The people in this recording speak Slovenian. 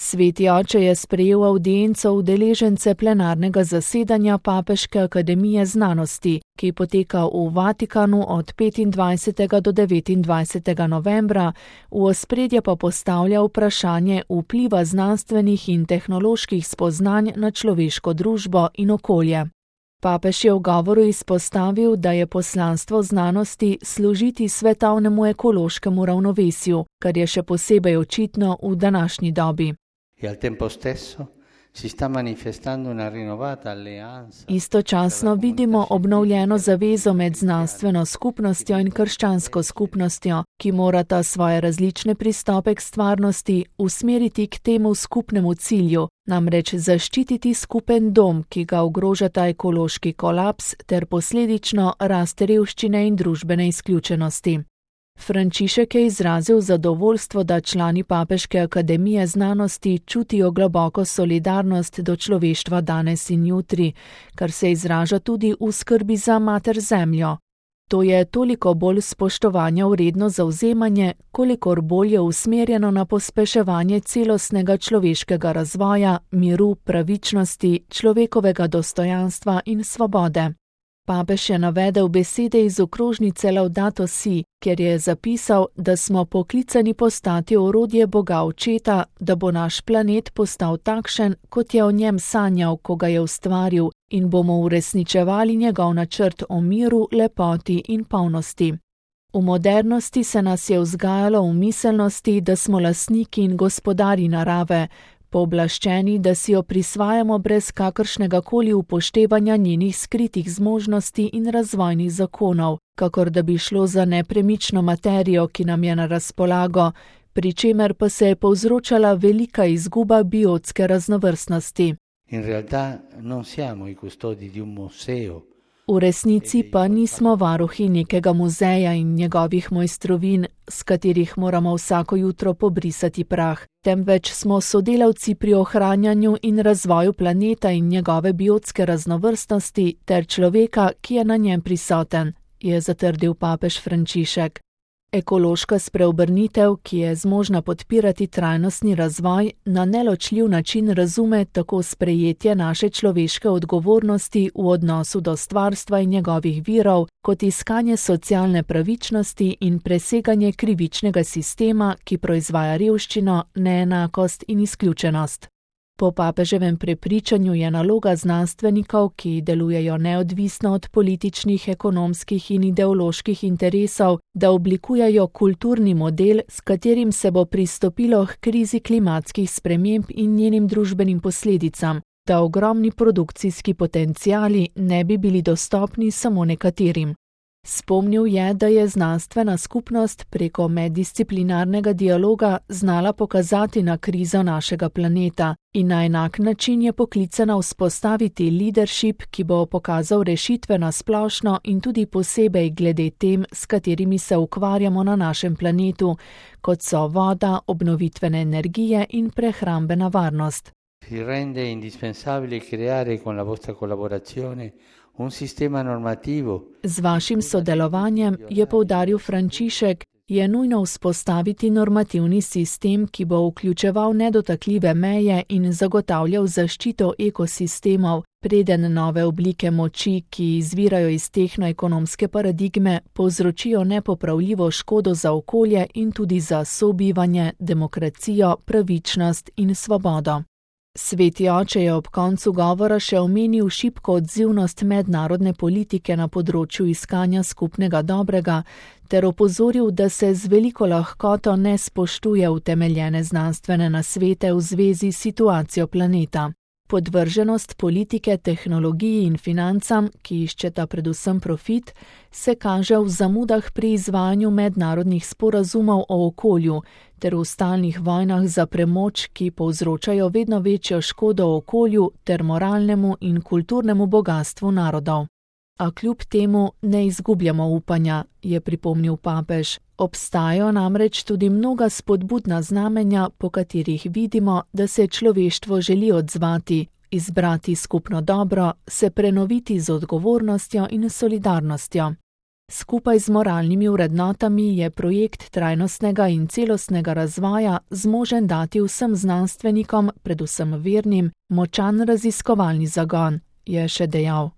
Sveti oče je sprejel avdienco udeležence plenarnega zasedanja Papeške akademije znanosti, ki poteka v Vatikanu od 25. do 29. novembra, v ospredje pa postavlja vprašanje vpliva znanstvenih in tehnoloških spoznanj na človeško družbo in okolje. Papež je v govoru izpostavil, da je poslanstvo znanosti služiti svetovnemu ekološkemu ravnovesju, kar je še posebej očitno v današnji dobi. Istočasno vidimo obnovljeno zavezo med znanstveno skupnostjo in krščansko skupnostjo, ki morata svoje različne pristope k stvarnosti usmeriti k temu skupnemu cilju, namreč zaščititi skupen dom, ki ga ogrožata ekološki kolaps ter posledično rast revščine in družbene izključenosti. Frančišek je izrazil zadovoljstvo, da člani Papeške akademije znanosti čutijo globoko solidarnost do človeštva danes in jutri, kar se izraža tudi v skrbi za mater zemljo. To je toliko bolj spoštovanja vredno zavzemanje, kolikor bolj je usmerjeno na pospeševanje celostnega človeškega razvoja, miru, pravičnosti, človekovega dostojanstva in svobode. Papež je navedel besede iz okrožnice Laudato Si, kjer je zapisal, da smo poklicani postati orodje Boga Očeta, da bo naš planet postal takšen, kot je o njem sanjal, ko ga je ustvaril, in bomo uresničevali njegov načrt o miru, lepoti in polnosti. V modernosti se nas je vzgajalo v miselnosti, da smo lastniki in gospodarji narave, pooblaščeni, da si jo prisvajamo brez kakršnega koli upoštevanja njenih skritih zmožnosti in razvojnih zakonov, kakor da bi šlo za nepremično materijo, ki nam je na razpolago, pri čemer pa se je povzročala velika izguba biotske raznovrstnosti. V resnici pa nismo varuhi nekega muzeja in njegovih mojstrovin, s katerih moramo vsako jutro pobrisati prah, temveč smo sodelavci pri ohranjanju in razvoju planeta in njegove biotske raznovrstnosti ter človeka, ki je na njem prisoten, je zatrdil papež Frančišek. Ekološka spreobrnitev, ki je zmožna podpirati trajnostni razvoj, na neločljiv način razume tako sprejetje naše človeške odgovornosti v odnosu do stvarstva in njegovih virov, kot iskanje socialne pravičnosti in preseganje krivičnega sistema, ki proizvaja revščino, neenakost in izključenost. Po papeževem prepričanju je naloga znanstvenikov, ki delujejo neodvisno od političnih, ekonomskih in ideoloških interesov, da oblikujejo kulturni model, s katerim se bo pristopilo k krizi klimatskih sprememb in njenim družbenim posledicam, da ogromni produkcijski potenciali ne bi bili dostopni samo nekaterim. Spomnil je, da je znanstvena skupnost preko meddisciplinarnega dialoga znala pokazati na krizo našega planeta in na enak način je poklicana vzpostaviti leadership, ki bo pokazal rešitve na splošno in tudi posebej glede tem, s katerimi se ukvarjamo na našem planetu, kot so voda, obnovitvene energije in prehrambena varnost. Si rende indispensabile creare con la vostra collaborazione un sistema normativo. Z vašim sodelovanjem, je poudaril Frančišek, je nujno vzpostaviti normativni sistem, ki bo vključeval nedotakljive meje in zagotavljal zaščito ekosistemov, preden nove oblike moči, ki izvirajo iz tehnoekonomske paradigme, povzročijo nepopravljivo škodo za okolje in tudi za sobivanje, demokracijo, pravičnost in svobodo. Sveti oče je ob koncu govora še omenil šibko odzivnost mednarodne politike na področju iskanja skupnega dobrega ter opozoril, da se z veliko lahkoto ne spoštuje utemeljene znanstvene nasvete v zvezi s situacijo planeta. Podvrženost politike, tehnologiji in financam, ki iščeta predvsem profit, se kaže v zamudah pri izvajanju mednarodnih sporazumov o okolju ter v stalnih vojnah za premoč, ki povzročajo vedno večjo škodo okolju ter moralnemu in kulturnemu bogastvu narodov. A kljub temu ne izgubljamo upanja, je pripomnil papež. Obstajajo namreč tudi mnoga spodbudna znamenja, po katerih vidimo, da se človeštvo želi odzvati, izbrati skupno dobro, se prenoviti z odgovornostjo in solidarnostjo. Skupaj z moralnimi vrednotami je projekt trajnostnega in celostnega razvoja zmožen dati vsem znanstvenikom, predvsem vernim, močan raziskovalni zagon, je še dejal.